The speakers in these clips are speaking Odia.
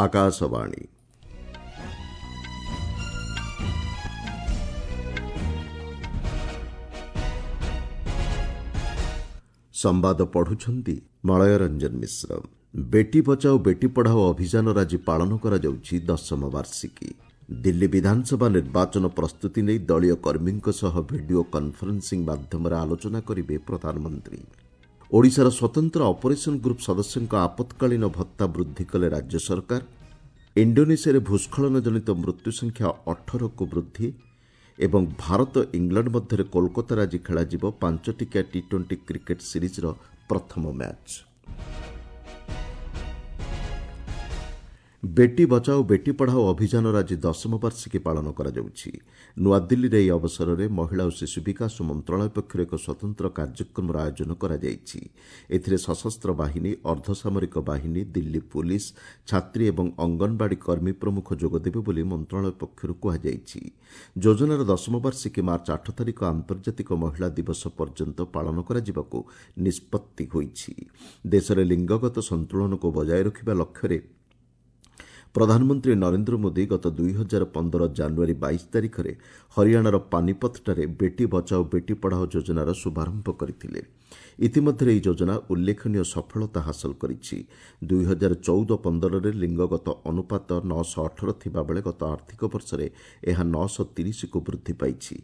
ଆକାଶବାଣୀ। ସମ୍ବାଦ ପଢୁଛନ୍ତି ମଳୟ ରଞ୍ଜନ ମିଶ୍ର। ବେଟି ବଚାଓ ବେଟି ପଢ଼ାଓ ଅଭିଯାନର ଆଜି ପାଳନ କରାଯାଉଛି ଦଶମ ବାର୍ଷିକୀ। ଦିଲ୍ଲୀ ବିଧାନସଭା ନିର୍ବାଚନ ପ୍ରସ୍ତୁତି ନେଇ ଦଳୀୟ କର୍ମୀଙ୍କ ସହ ଭିଡିଓ କନ୍ଫରେନ୍ସିଂ ମାଧ୍ୟମରେ ଆଲୋଚନା କରିବେ ପ୍ରଧାନମନ୍ତ୍ରୀ। ଓଡ଼ିଶାର ସ୍ୱତନ୍ତ୍ର ଅପରେସନ୍ ଗ୍ରୁପ୍ ସଦସ୍ୟଙ୍କ ଆପତ୍କାଳୀନ ଭତ୍ତା ବୃଦ୍ଧି କଲେ ରାଜ୍ୟ ସରକାର। ଇଣ୍ଡୋନେସିଆରେ ଭୂସ୍ଖଳନ ଜନିତ ମୃତ୍ୟୁ ସଂଖ୍ୟା 18କୁ ବୃଦ୍ଧି ଏବଂ ଭାରତ ଇଂଲଣ୍ଡ ମଧ୍ୟରେ କୋଲକାତାରେ ଆଜି ଖେଳାଯିବ 5 ଟିକିଆ ଟି-20 କ୍ରିକେଟ୍ ସିରିଜ୍ର ପ୍ରଥମ ମ୍ୟାଚ୍। ବେଟି ବଚାଓ ବେଟି ପଢ଼ାଓ ଅଭିଯାନର ଆଜି ଦଶମ ବାର୍ଷିକୀ ପାଳନ କରାଯାଉଛି। ନୂଆଦିଲ୍ଲୀରେ ଏହି ଅବସରରେ ମହିଳା ଓ ଶିଶୁ ବିକାଶ ମନ୍ତ୍ରଣାଳୟ ପକ୍ଷରୁ ଏକ ସ୍ୱତନ୍ତ୍ର କାର୍ଯ୍ୟକ୍ରମର ଆୟୋଜନ କରାଯାଇଛି। ଏଥିରେ ସଶସ୍ତ୍ର ବାହିନୀ, ଅର୍ଦ୍ଧସାମରିକ ବାହିନୀ, ଦିଲ୍ଲୀ ପୁଲିସ୍, ଛାତ୍ରୀ ଏବଂ ଅଙ୍ଗନବାଡ଼ି କର୍ମୀ ପ୍ରମୁଖ ଯୋଗଦେବେ ବୋଲି ମନ୍ତ୍ରଣାଳୟ ପକ୍ଷରୁ କୁହାଯାଇଛି। ଯୋଜନାର ଦଶମ ବାର୍ଷିକୀ ମାର୍ଚ୍ଚ 8 ତାରିଖ ଆନ୍ତର୍ଜାତିକ ମହିଳା ଦିବସ ପର୍ଯ୍ୟନ୍ତ ପାଳନ କରାଯିବାକୁ ନିଷ୍ପତ୍ତି ହୋଇଛି। ଦେଶରେ ଲିଙ୍ଗଗତ ସନ୍ତୁଳନକୁ ବଜାୟ ରଖିବା ଲକ୍ଷ୍ୟରେ ପ୍ରଧାନମନ୍ତ୍ରୀ ନରେନ୍ଦ୍ର ମୋଦି ଗତ 2015 ଜାନୁଆରୀ 22 ତାରିଖରେ ହରିୟାଣାର ପାନିପଥଠାରେ ବେଟି ବଚାଓ ବେଟି ପଢ଼ାଓ ଯୋଜନାର ଶୁଭାରମ୍ଭ କରିଥିଲେ। ଇତିମଧ୍ୟରେ ଏହି ଯୋଜନା ଉଲ୍ଲେଖନୀୟ ସଫଳତା ହାସଲ କରିଛି। 2014-15ରେ ଲିଙ୍ଗଗତ ଅନୁପାତ 918 ଥିବାବେଳେ ଗତ ଆର୍ଥିକ ବର୍ଷରେ ଏହା 930କୁ ବୃଦ୍ଧି ପାଇଛି।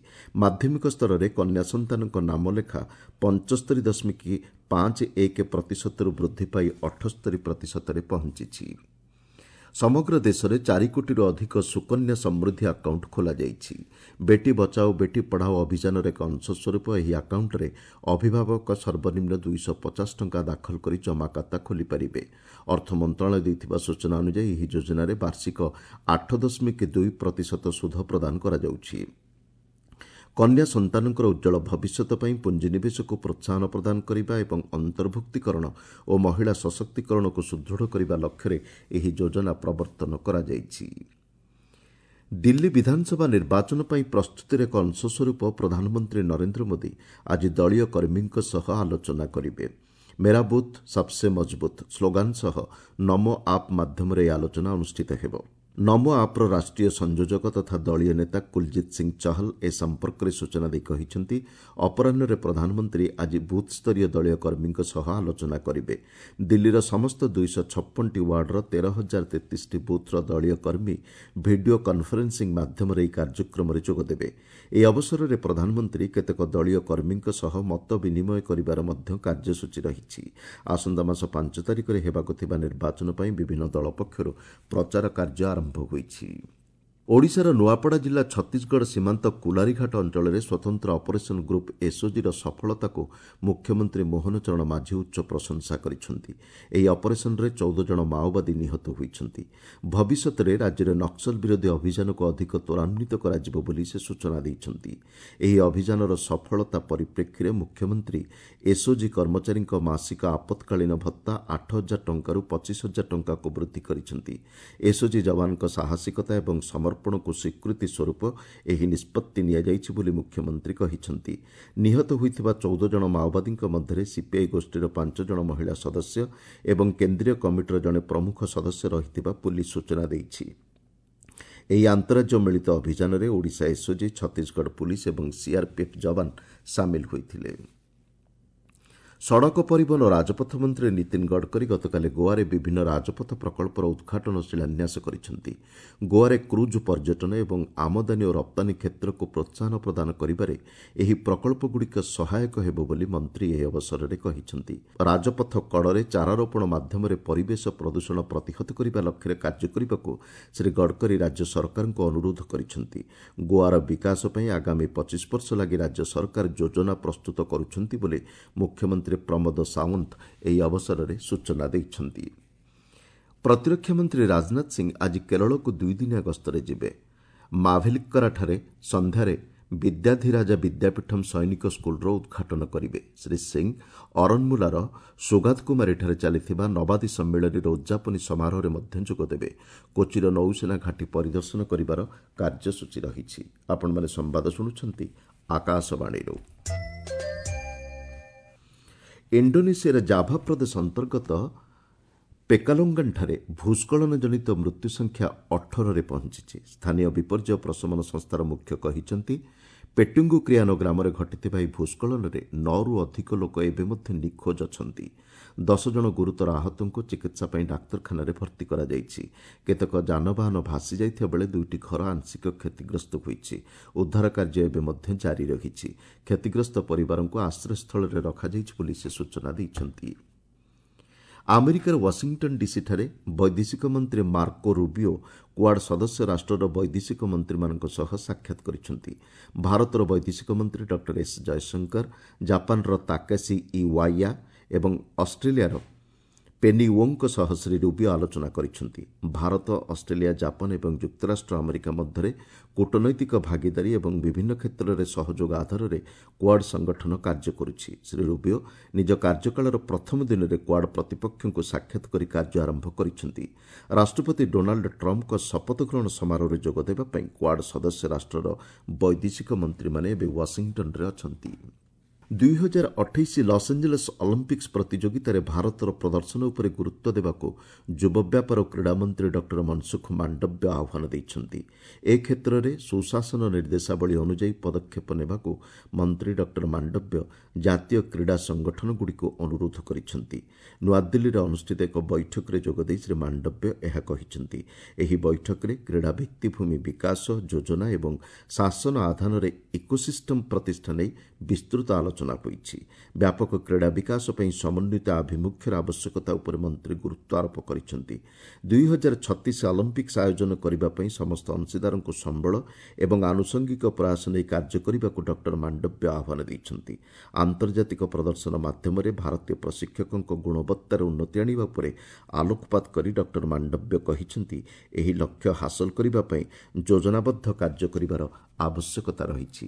ମାଧ୍ୟମିକ ସ୍ତରରେ କନ୍ୟା ସନ୍ତାନଙ୍କ ନାମଲେଖା 75.51 ପ୍ରତିଶତରୁ ବୃଦ୍ଧି ପାଇ 78 ପ୍ରତିଶତରେ ପହଞ୍ଚିଛି। ସମଗ୍ର ଦେଶରେ 4 କୋଟିରୁ ଅଧିକ ସୁକନ୍ୟା ସମୃଦ୍ଧି ଆକାଉଣ୍ଟ ଖୋଲାଯାଇଛି। ବେଟି ବଚାଓ ବେଟି ପଢ଼ାଓ ଅଭିଯାନର ଏକ ଅଂଶସ୍ୱରୂପ ଏହି ଆକାଉଣ୍ଟରେ ଅଭିଭାବକ ସର୍ବନିମ୍ନ 250 ଟଙ୍କା ଦାଖଲ କରି ଜମାଖାତା ଖୋଲିପାରିବେ। ଅର୍ଥ ମନ୍ତ୍ରଣାଳୟ ଦେଇଥିବା ସୂଚନା ଅନୁଯାୟୀ ଏହି ଯୋଜନାରେ ବାର୍ଷିକ 8.2 ପ୍ରତିଶତ ସୁଧ ପ୍ରଦାନ କରାଯାଉଛି। କନ୍ୟା ସନ୍ତାନଙ୍କର ଉଜ୍ଜ୍ୱଳ ଭବିଷ୍ୟତ ପାଇଁ ପୁଞ୍ଜିନିବେଶକୁ ପ୍ରୋତ୍ସାହନ ପ୍ରଦାନ କରିବା ଏବଂ ଅନ୍ତର୍ଭୁକ୍ତୀକରଣ ଓ ମହିଳା ସଶକ୍ତିକରଣକୁ ସୁଦୃଢ଼ କରିବା ଲକ୍ଷ୍ୟରେ ଏହି ଯୋଜନା ପ୍ରବର୍ତ୍ତନ କରାଯାଇଛି। ଦିଲ୍ଲୀ ବିଧାନସଭା ନିର୍ବାଚନ ପାଇଁ ପ୍ରସ୍ତୁତିର ଏକ ଅଂଶସ୍ୱରୂପ ପ୍ରଧାନମନ୍ତ୍ରୀ ନରେନ୍ଦ୍ର ମୋଦି ଆଜି ଦଳୀୟ କର୍ମୀଙ୍କ ସହ ଆଲୋଚନା କରିବେ। ମେରା ବୁଥ୍ ସବ୍ସେ ମଜବୁତ୍ ସ୍ଲୋଗାନ ସହ ନମୋ ଆପ୍ ମାଧ୍ୟମରେ ଏହି ଆଲୋଚନା ଅନୁଷ୍ଠିତ ହେବ। ନମୋ ଆପ୍ର ରାଷ୍ଟ୍ରୀୟ ସଂଯୋଜକ ତଥା ଦଳୀୟ ନେତା କୁଲଜିତ୍ ସିଂ ଚହଲ ଏ ସମ୍ପର୍କରେ ସୂଚନା ଦେଇ କହିଛନ୍ତି, ଅପରାହ୍ନରେ ପ୍ରଧାନମନ୍ତ୍ରୀ ଆଜି ବୁଥ୍ସ୍ତରୀୟ ଦଳୀୟ କର୍ମୀଙ୍କ ସହ ଆଲୋଚନା କରିବେ। ଦିଲ୍ଲୀର ସମସ୍ତ 256ଟି ୱାର୍ଡର 13,033ଟି ବୁଥ୍ର ଦଳୀୟ କର୍ମୀ ଭିଡିଓ କନ୍ଫରେନ୍ସିଂ ମାଧ୍ୟମରେ ଏହି କାର୍ଯ୍ୟକ୍ରମରେ ଯୋଗଦେବେ। ଏହି ଅବସରରେ ପ୍ରଧାନମନ୍ତ୍ରୀ କେତେକ ଦଳୀୟ କର୍ମୀଙ୍କ ସହ ମତ ବିନିମୟ କରିବାର ମଧ୍ୟ କାର୍ଯ୍ୟସୂଚୀ ରହିଛି। ଆସନ୍ତା ମାସ 5 ତାରିଖରେ ହେବାକୁ ଥିବା ନିର୍ବାଚନ ପାଇଁ ବିଭିନ୍ନ ଦଳ ପକ୍ଷରୁ ପ୍ରଚାର କାର୍ଯ୍ୟ ଆରମ୍ଭ ହୋଇଛି। ଓଡ଼ିଶାର ନୂଆପଡ଼ା ଜିଲ୍ଲା ଛତିଶଗଡ଼ ସୀମାନ୍ତ କୁଲାରୀଘାଟ ଅଞ୍ଚଳରେ ସ୍ୱତନ୍ତ୍ର ଅପରେସନ୍ ଗ୍ରୁପ୍ ଏସ୍ଓଜିର ସଫଳତାକୁ ମୁଖ୍ୟମନ୍ତ୍ରୀ ମୋହନ ଚରଣ ମାଝୀ ଉଚ୍ଚ ପ୍ରଶଂସା କରିଛନ୍ତି। ଏହି ଅପରେସନ୍ରେ 14 ଜଣ ମାଓବାଦୀ ନିହତ ହୋଇଛନ୍ତି। ଭବିଷ୍ୟତରେ ରାଜ୍ୟରେ ନକ୍ସଲ ବିରୋଧୀ ଅଭିଯାନକୁ ଅଧିକ ତ୍ୱରାନ୍ୱିତ କରାଯିବ ବୋଲି ସେ ସୂଚନା ଦେଇଛନ୍ତି। ଏହି ଅଭିଯାନର ସଫଳତା ପରିପ୍ରେକ୍ଷୀରେ ମୁଖ୍ୟମନ୍ତ୍ରୀ ଏସ୍ଓଜି କର୍ମଚାରୀଙ୍କ ମାସିକ ଆପତ୍କାଳୀନ ଭତ୍ତା 8,000 ଟଙ୍କାରୁ 25,000 ଟଙ୍କାକୁ ବୃଦ୍ଧି କରିଛନ୍ତି। ଏସ୍ଓଜି ଯବାନଙ୍କ ସାହସିକତା ଏବଂ ସମର୍ପଣକୁ ସ୍ୱୀକୃତି ସ୍ୱରୂପ ଏହି ନିଷ୍ପତ୍ତି ନିଆଯାଇଛି ବୋଲି ମୁଖ୍ୟମନ୍ତ୍ରୀ କହିଛନ୍ତି। ନିହତ ହୋଇଥିବା 14 ଜଣ ମାଓବାଦୀଙ୍କ ମଧ୍ୟରେ ସିପିଆଇ ଗୋଷ୍ଠୀର 5 ଜଣ ମହିଳା ସଦସ୍ୟ ଏବଂ କେନ୍ଦ୍ରୀୟ କମିଟିର ଜଣେ ପ୍ରମୁଖ ସଦସ୍ୟ ରହିଥିବା ପୁଲିସ୍ ସୂଚନା ଦେଇଛି। ଏହି ଆନ୍ତଃରାଜ୍ୟ ମିଳିତ ଅଭିଯାନରେ ଓଡ଼ିଶା ଏସ୍ଓଜି, ଛତିଶଗଡ଼ ପୁଲିସ୍ ଏବଂ ସିଆର୍ପିଏଫ୍ ଯବାନ ସାମିଲ ହୋଇଥିଲେ। ସଡ଼କ ପରିବହନ ଓ ରାଜପଥ ମନ୍ତ୍ରୀ ନୀତିନ ଗଡ଼କରୀ ଗତକାଲି ଗୋଆରେ ବିଭିନ୍ନ ରାଜପଥ ପ୍ରକଳ୍ପର ଉଦ୍ଘାଟନ ଓ ଶିଳାନ୍ୟାସ କରିଛନ୍ତି। ଗୋଆରେ କ୍ରୁଜ୍ ପର୍ଯ୍ୟଟନ ଏବଂ ଆମଦାନୀ ଓ ରପ୍ତାନୀ କ୍ଷେତ୍ରକୁ ପ୍ରୋତ୍ସାହନ ପ୍ରଦାନ କରିବାରେ ଏହି ପ୍ରକଳ୍ପଗୁଡ଼ିକ ସହାୟକ ହେବ ବୋଲି ମନ୍ତ୍ରୀ ଏହି ଅବସରରେ କହିଛନ୍ତି। ରାଜପଥ କଡ଼ରେ ଚାରାରୋପଣ ମାଧ୍ୟମରେ ପରିବେଶ ପ୍ରଦୂଷଣ ପ୍ରତିହତ କରିବା ଲକ୍ଷ୍ୟରେ କାର୍ଯ୍ୟ କରିବାକୁ ଶ୍ରୀ ଗଡ଼କରୀ ରାଜ୍ୟ ସରକାରଙ୍କୁ ଅନୁରୋଧ କରିଛନ୍ତି। ଗୋଆର ବିକାଶ ପାଇଁ ଆଗାମୀ 25 ବର୍ଷ ଲାଗି ରାଜ୍ୟ ସରକାର ଯୋଜନା ପ୍ରସ୍ତୁତ କରୁଛନ୍ତି ବୋଲି ମୁଖ୍ୟମନ୍ତ୍ରୀ ପ୍ରମୋଦ ସାୱନ୍ତ ଏହି ଅବସରରେ ସୂଚନା ଦେଇଛନ୍ତି। ପ୍ରତିରକ୍ଷା ମନ୍ତ୍ରୀ ରାଜନାଥ ସିଂ ଆଜି କେରଳକୁ 2 ଦିନିଆ ଗସ୍ତରେ ଯିବେ। ମାଭେଲିକ୍କରାଠାରେ ସନ୍ଧ୍ୟାରେ ବିଦ୍ୟାଧିରାଜା ବିଦ୍ୟାପୀଠମ୍ ସୈନିକ ସ୍କୁଲର ଉଦ୍ଘାଟନ କରିବେ। ଶ୍ରୀ ସିଂ ଅରନମୁଲାର ସୁଗାତକୁମାରୀଠାରେ ଚାଲିଥିବା ନବାଦୀ ସମ୍ମିଳନୀର ଉଦ୍ଯାପନୀ ସମାରୋହରେ ମଧ୍ୟ ଯୋଗଦେବେ। କୋଚିର ନୌସେନା ଘାଟି ପରିଦର୍ଶନ କରିବାର କାର୍ଯ୍ୟସୂଚୀ ରହିଛି। ଆପଣମାନେ ସମ୍ବାଦ ଶୁଣୁଛନ୍ତି ଆକାଶବାଣୀରୁ। ଇଣ୍ଡୋନେସିଆର ଜାଭା ପ୍ରଦେଶ ଅନ୍ତର୍ଗତ ପେକାଲୋଙ୍ଗାନଠାରେ ଭୂସ୍ଖଳନଜନିତ ମୃତ୍ୟୁ ସଂଖ୍ୟା 18ରେ ପହଞ୍ଚିଛି। ସ୍ଥାନୀୟ ବିପର୍ଯ୍ୟୟ ପ୍ରଶମନ ସଂସ୍ଥାର ମୁଖ୍ୟ କହିଛନ୍ତି, ପେଟୁଙ୍ଗୁକ୍ରିଆନୋ ଗ୍ରାମରେ ଘଟିଥିବା ଏହି ଭୂସ୍ଖଳନରେ 9ରୁ ଅଧିକ ଲୋକ ଏବେ ମଧ୍ୟ ନିଖୋଜ ଅଛନ୍ତି। 10 ଜଣ ଗୁରୁତର ଆହତଙ୍କୁ ଚିକିତ୍ସା ପାଇଁ ଡାକ୍ତରଖାନାରେ ଭର୍ତ୍ତି କରାଯାଇଛି। କେତେକ ଯାନବାହନ ଭାସି ଯାଇଥିବା ବେଳେ 2ଟି ଘର ଆଂଶିକ କ୍ଷତିଗ୍ରସ୍ତ ହୋଇଛି। ଉଦ୍ଧାର କାର୍ଯ୍ୟ ଏବେ ମଧ୍ୟ ଜାରି ରହିଛି। କ୍ଷତିଗ୍ରସ୍ତ ପରିବାରଙ୍କୁ ଆଶ୍ରୟସ୍ଥଳରେ ରଖାଯାଇଛି ବୋଲି ସେ ସୂଚନା ଦେଇଛନ୍ତି। ଆମେରିକାର ୱାଶିଂଟନ୍ ଡିସିଠାରେ ବୈଦେଶିକ ମନ୍ତ୍ରୀ ମାର୍କୋ ରୁବିଓ କ୍ୱାଡ୍ ସଦସ୍ୟ ରାଷ୍ଟ୍ରର ବୈଦେଶିକ ମନ୍ତ୍ରୀମାନଙ୍କ ସହ ସାକ୍ଷାତ କରିଛନ୍ତି। ଭାରତର ବୈଦେଶିକ ମନ୍ତ୍ରୀ ଡକ୍ଟର ଏସ୍ ଜୟଶଙ୍କର, ଜାପାନର ତାକାସି ଇୱାୟା ଏବଂ ଅଷ୍ଟ୍ରେଲିଆର ପେନି ୱୋଙ୍ଗଙ୍କ ସହ ଶ୍ରୀ ରୁବିଓ ଆଲୋଚନା କରିଛନ୍ତି। ଭାରତ, ଅଷ୍ଟ୍ରେଲିଆ, ଜାପାନ ଏବଂ ଯୁକ୍ତରାଷ୍ଟ୍ର ଆମେରିକା ମଧ୍ୟରେ କୂଟନୈତିକ ଭାଗିଦାରୀ ଏବଂ ବିଭିନ୍ନ କ୍ଷେତ୍ରରେ ସହଯୋଗ ଆଧାରରେ କ୍ୱାଡ୍ ସଂଗଠନ କାର୍ଯ୍ୟ କରୁଛି। ଶ୍ରୀ ରୁବିଓ ନିଜ କାର୍ଯ୍ୟକାଳର ପ୍ରଥମ ଦିନରେ କ୍ୱାଡ୍ ପ୍ରତିପକ୍ଷଙ୍କୁ ସାକ୍ଷାତ କରି କାର୍ଯ୍ୟ ଆରମ୍ଭ କରିଛନ୍ତି। ରାଷ୍ଟ୍ରପତି ଡୋନାଲ୍ଡ ଟ୍ରମ୍ପଙ୍କ ଶପଥ ଗ୍ରହଣ ସମାରୋହରେ ଯୋଗଦେବା ପାଇଁ କ୍ୱାଡ୍ ସଦସ୍ୟ ରାଷ୍ଟ୍ରର ବୈଦେଶିକ ମନ୍ତ୍ରୀମାନେ ଏବେ ୱାଶିଂଟନ୍ରେ ଅଛନ୍ତି। 2028 ଲସ୍ଏଞ୍ଜେଲସ୍ ଅଲିମ୍ପିକ୍ସ ପ୍ରତିଯୋଗିତାରେ ଭାରତର ପ୍ରଦର୍ଶନ ଉପରେ ଗୁରୁତ୍ୱ ଦେବାକୁ ଯୁବ ବ୍ୟାପାର ଓ କ୍ରୀଡ଼ାମନ୍ତ୍ରୀ ଡକ୍ଟର ମନସୁଖ ମାଣ୍ଡବ୍ୟ ଆହ୍ୱାନ ଦେଇଛନ୍ତି। ଏ କ୍ଷେତ୍ରରେ ସୁଶାସନ ନିର୍ଦ୍ଦେଶାବଳୀ ଅନୁଯାୟୀ ପଦକ୍ଷେପ ନେବାକୁ ମନ୍ତ୍ରୀ ଡକ୍ଟର ମାଣ୍ଡବ୍ୟ ଜାତୀୟ କ୍ରୀଡ଼ା ସଂଗଠନଗୁଡ଼ିକୁ ଅନୁରୋଧ କରିଛନ୍ତି। ନୂଆଦିଲ୍ଲୀରେ ଅନୁଷ୍ଠିତ ଏକ ବୈଠକରେ ଯୋଗଦେଇ ଶ୍ରୀ ମାଣ୍ଡବ୍ୟ ଏହା କହିଛନ୍ତି। ଏହି ବୈଠକରେ କ୍ରୀଡ଼ା ଭିତ୍ତିଭୂମି ବିକାଶ, ଯୋଜନା ଏବଂ ଶାସନ ଆଧାରରେ ଇକୋସିଷ୍ଟମ୍ ପ୍ରତିଷ୍ଠା ନେଇ ବିସ୍ତୃତ ଆଲୋଚନା ହୋଇଛି। ବ୍ୟାପକ କ୍ରୀଡ଼ା ବିକାଶ ପାଇଁ ସମନ୍ୱିତ ଆଭିମୁଖ୍ୟର ଆବଶ୍ୟକତା ଉପରେ ମନ୍ତ୍ରୀ ଗୁରୁତ୍ୱ ଆରୋପ କରିଛନ୍ତି। 2036 ଅଲିମ୍ପିକ୍ସ ଆୟୋଜନ କରିବା ପାଇଁ ସମସ୍ତ ଅଂଶୀଦାରଙ୍କୁ ସମ୍ବଳ ଏବଂ ଆନୁଷଙ୍ଗିକ ପ୍ରୟାସ ନେଇ କାର୍ଯ୍ୟ କରିବାକୁ ଡକ୍ଟର ମାଣ୍ଡବ୍ୟ ଆହ୍ୱାନ ଦେଇଛନ୍ତି। ଆନ୍ତର୍ଜାତିକ ପ୍ରଦର୍ଶନ ମାଧ୍ୟମରେ ଭାରତୀୟ ପ୍ରଶିକ୍ଷକଙ୍କ ଗୁଣବତ୍ତାରେ ଉନ୍ନତି ଆଣିବା ଉପରେ ଆଲୋକପାତ କରି ଡକ୍ଟର ମାଣ୍ଡବ୍ୟ କହିଛନ୍ତି, ଏହି ଲକ୍ଷ୍ୟ ହାସଲ କରିବା ପାଇଁ ଯୋଜନାବଦ୍ଧ କାର୍ଯ୍ୟ କରିବାର ଆବଶ୍ୟକତା ରହିଛି।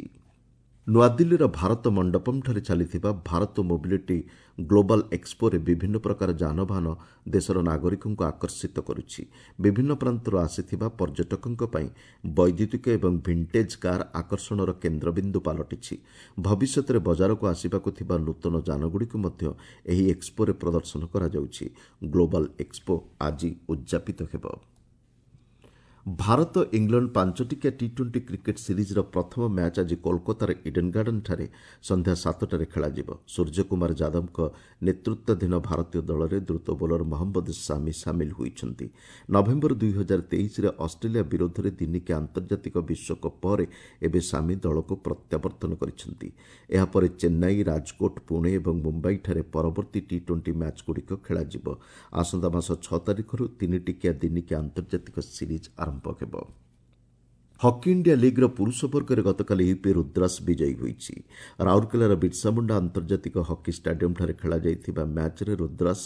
ନୂଆଦିଲ୍ଲୀର ଭାରତ ମଣ୍ଡପମ୍ଠାରେ ଚାଲିଥିବା ଭାରତ ମୋବିଲିଟି ଗ୍ଲୋବାଲ୍ ଏକ୍ସପୋରେ ବିଭିନ୍ନ ପ୍ରକାର ଯାନବାହନ ଦେଶର ନାଗରିକଙ୍କୁ ଆକର୍ଷିତ କରୁଛି। ବିଭିନ୍ନ ପ୍ରାନ୍ତରୁ ଆସିଥିବା ପର୍ଯ୍ୟଟକଙ୍କ ପାଇଁ ବୈଦ୍ୟୁତିକ ଏବଂ ଭିଣ୍ଟେଜ୍ କାର୍ ଆକର୍ଷଣର କେନ୍ଦ୍ରବିନ୍ଦୁ ପାଲଟିଛି। ଭବିଷ୍ୟତରେ ବଜାରକୁ ଆସିବାକୁ ଥିବା ନୂତନ ଯାନଗୁଡ଼ିକୁ ମଧ୍ୟ ଏହି ଏକ୍ସପୋରେ ପ୍ରଦର୍ଶନ କରାଯାଉଛି। ଗ୍ଲୋବାଲ୍ ଏକ୍ସପୋ ଆଜି ଉଦ୍ଯାପିତ ହେବ। ଭାରତ ଇଂଲଣ୍ଡ 5ଟିକିଆ ଟି-20 କ୍ରିକେଟ୍ ସିରିଜ୍ର ପ୍ରଥମ ମ୍ୟାଚ୍ ଆଜି କୋଲକାତାର ଇଡେନ୍ ଗାର୍ଡେନ୍ଠାରେ ସନ୍ଧ୍ୟା 7ଟାରେ ଖେଳାଯିବ। ସୂର୍ଯ୍ୟକୁମାର ଯାଦବଙ୍କ ନେତୃତ୍ୱାଧୀନ ଭାରତୀୟ ଦଳରେ ଦ୍ରୁତ ବୋଲର ମହମ୍ମଦ ସାମି ସାମିଲ ହୋଇଛନ୍ତି। ନଭେମ୍ବର 2023ରେ ଅଷ୍ଟ୍ରେଲିଆ ବିରୋଧରେ ଦିନିକିଆ ଆନ୍ତର୍ଜାତିକ ବିଶ୍ୱକପ୍ ପରେ ଏବେ ସାମି ଦଳକୁ ପ୍ରତ୍ୟାବର୍ତ୍ତନ କରିଛନ୍ତି। ଏହାପରେ ଚେନ୍ନାଇ, ରାଜକୋଟ, ପୁଣେ ଏବଂ ମୁମ୍ବାଇଠାରେ ପରବର୍ତ୍ତୀ ଟି-20 ମ୍ୟାଚ୍ଗୁଡ଼ିକ ଖେଳାଯିବ। ଆସନ୍ତା ମାସ 6 ତାରିଖରୁ 3ଟିକିଆ ଦିନିକିଆ ଆନ୍ତର୍ଜାତିକ ସିରିଜ୍ ଆରମ୍ଭ ହେବ। ହକି ଇଣ୍ଡିଆ ଲିଗ୍ର ପୁରୁଷ ବର୍ଗରେ ଗତକାଲି ୟୁପି ରୁଦ୍ରାସ ବିଜୟୀ ହୋଇଛି। ରାଉରକେଲାର ବିର୍ସାମୁଣ୍ଡା ଆନ୍ତର୍ଜାତିକ ହକି ଷ୍ଟାଡିୟମ୍ଠାରେ ଖେଳାଯାଇଥିବା ମ୍ୟାଚ୍ରେ ରୁଦ୍ରାସ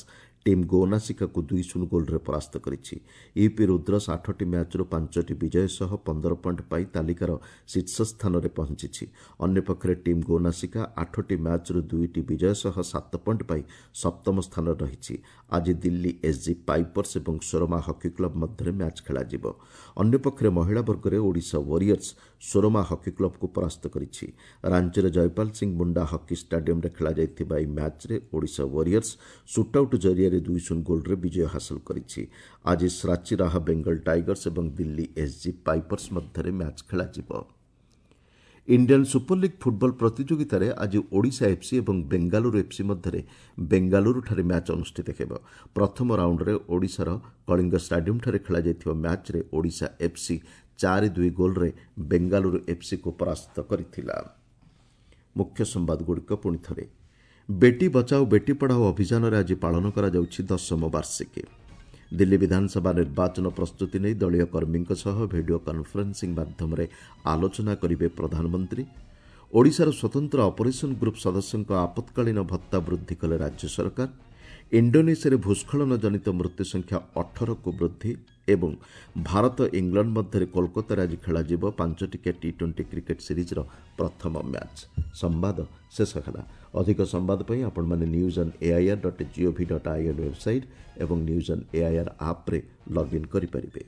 ଟିମ୍ ଗୋନାସିକାକୁ 2-0 ଗୋଲ୍ରେ ପରାସ୍ତ କରିଛି। ୟୁପି ରୁଦ୍ରସ୍ 8ଟି ମ୍ୟାଚ୍ରୁ 5ଟି ବିଜୟ ସହ 15 ପଏଣ୍ଟ ପାଇ ତାଲିକାର ଶୀର୍ଷ ସ୍ଥାନରେ ପହଞ୍ଚିଛି। ଅନ୍ୟପକ୍ଷରେ ଟିମ୍ ଗୋନାସିକା 8ଟି ମ୍ୟାଚ୍ରୁ 2ଟି ବିଜୟ ସହ 7 ପଏଣ୍ଟ ପାଇ ସପ୍ତମ ସ୍ଥାନରେ ରହିଛି। ଆଜି ଦିଲ୍ଲୀ ଏସ୍ଜି ପାଇପର୍ସ ଏବଂ ସୋରମା ହକି କ୍ଲବ୍ ମଧ୍ୟରେ ମ୍ୟାଚ୍ ଖେଳାଯିବ। ଅନ୍ୟପକ୍ଷରେ ମହିଳା ବର୍ଗରେ ଓଡ଼ିଶା ୱାରିୟର୍ସ ସୋରମା ହକି କ୍ଲବ୍କୁ ପରାସ୍ତ କରିଛି। ରାଞ୍ଚିର ଜୟପାଲ ସିଂ ମୁଣ୍ଡା ହକି ଷ୍ଟାଡିୟମ୍ରେ ଖେଳାଯାଇଥିବା ଏହି ମ୍ୟାଚ୍ରେ ଓଡ଼ିଶା ୱାରିୟର୍ସ ସୁଟ୍ଆଉଟ୍ ଜରିଆରେ 2-0 ଗୋଲ୍ରେ ବିଜୟ ହାସଲ କରିଛି। ଆଜି ଶ୍ରାଚୀ ରାହା ବେଙ୍ଗଲ ଟାଇଗର୍ସ ଏବଂ ଦିଲ୍ଲୀ ଏସ୍ଜି ପାଇପର୍ସ ମଧ୍ୟରେ ମ୍ୟାଚ୍ ଖେଳାଯିବ। ଇଣ୍ଡିଆନ୍ ସୁପର ଲିଗ୍ ଫୁଟବଲ ପ୍ରତିଯୋଗିତାରେ ଆଜି ଓଡ଼ିଶା ଏଫ୍ସି ଏବଂ ବେଙ୍ଗାଲୁରୁ ଏଫ୍ସି ମଧ୍ୟରେ ବେଙ୍ଗାଲୁରୁଠାରେ ମ୍ୟାଚ୍ ଅନୁଷ୍ଠିତ ହେବ। ପ୍ରଥମ ରାଉଣ୍ଡରେ ଓଡ଼ିଶାର କଳିଙ୍ଗ ଷ୍ଟାଡିୟମ୍ଠାରେ ଖେଳାଯାଇଥିବା ମ୍ୟାଚ୍ରେ ଓଡ଼ିଶା ଏଫ୍ସି 4-2 ଗୋଲ୍ରେ ବେଙ୍ଗାଲୁରୁ ଏଫ୍ସିକୁ ପରାସ୍ତ କରିଥିଲା। ମୁଖ୍ୟ ସମ୍ବାଦଗୁଡ଼ିକ ପୁଣି ଥରେ। ବେଟି ବଚାଓ ବେଟି ପଢ଼ାଓ ଅଭିଯାନରେ ଆଜି ପାଳନ କରାଯାଉଛି 10ମ ବାର୍ଷିକୀ। ଦିଲ୍ଲୀ ବିଧାନସଭା ନିର୍ବାଚନ ପ୍ରସ୍ତୁତି ନେଇ ଦଳୀୟ କର୍ମୀଙ୍କ ସହ ଭିଡ଼ିଓ କନ୍ଫରେନ୍ସିଂ ମାଧ୍ୟମରେ ଆଲୋଚନା କରିବେ ପ୍ରଧାନମନ୍ତ୍ରୀ। ଓଡ଼ିଶାର ସ୍ୱତନ୍ତ୍ର ଅପରେସନ୍ ଗ୍ରୁପ୍ ସଦସ୍ୟଙ୍କ ଆପତ୍କାଳୀନ ଭତ୍ତା ବୃଦ୍ଧି କଲେ ରାଜ୍ୟ ସରକାର। ଇଣ୍ଡୋନେସିଆରେ ଭୂସ୍ଖଳନ ଜନିତ ମୃତ୍ୟୁ ସଂଖ୍ୟା 18କୁ ବୃଦ୍ଧି ଏବଂ ଭାରତ ଇଂଲଣ୍ଡ ମଧ୍ୟରେ କୋଲକାତାରେ ଆଜି ଖେଳାଯିବ 5ଟିକିଆ ଟି-20 କ୍ରିକେଟ୍ ସିରିଜ୍ର ପ୍ରଥମ ମ୍ୟାଚ୍। ସମ୍ବାଦ ଶେଷ ହେଲା। ଅଧିକ ସମ୍ବାଦ ପାଇଁ ଆପଣମାନେ news on AIR dot GOV dot IN website ଏବଂ ନ୍ୟୁଜ୍ ଅନ୍ ଏଆଇଆର୍ ଆପ୍ରେ ଲଗ୍ଇନ୍ କରିପାରିବେ।